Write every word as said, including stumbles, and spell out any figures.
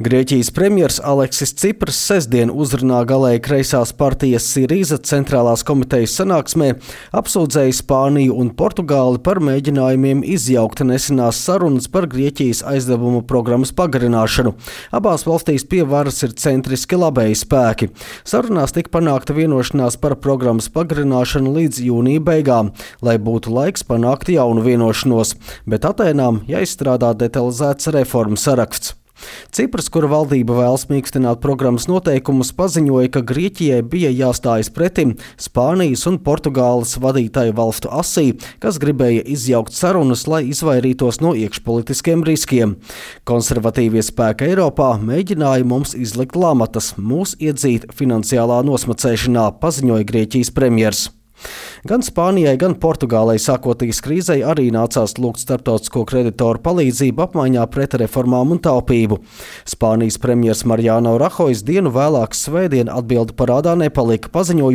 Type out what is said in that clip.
Grieķijas premjers Aleksis Cipras sestdien uzrunā galēji kreisās partijas Sirīza centrālās komitejas sanāksmē apsūdzēja Spāniju un Portugāli par mēģinājumiem izjaukt nesenās sarunas par Grieķijas aizdevumu programmas pagarināšanu. Abās valstīs pie varas ir centriski labēji spēki. Sarunās tika panākta vienošanās par programmas pagarināšanu līdz jūnija beigām, lai būtu laiks panākt jaunu vienošanos, bet Atēnām jāizstrādā detalizēts reformu saraksts. Cipras, kura valdība vēlas mīkstināt programmas noteikumus, paziņoja, ka Grieķijai bija jāstājas pretim Spānijas un Portugāles vadītāju valstu asī, kas gribēja izjaukt sarunas, lai izvairītos no iekšpolitiskiem riskiem. Konservatīvie spēki Eiropā mēģināja mums izlikt lamatas, mūs iedzīt finansiālā nosmacēšanā, paziņoja Grieķijas premjers. Gan Spānijai, gan Portugālei sākotnēs krīzei arī nācās lūgt starptautisko kreditoru palīdzību apmaiņā pret reformām un taupību. Spānijas premjers Mariano Rajoy dienu vēlāk svētdien atbildi parādā nepalika, paziņojot,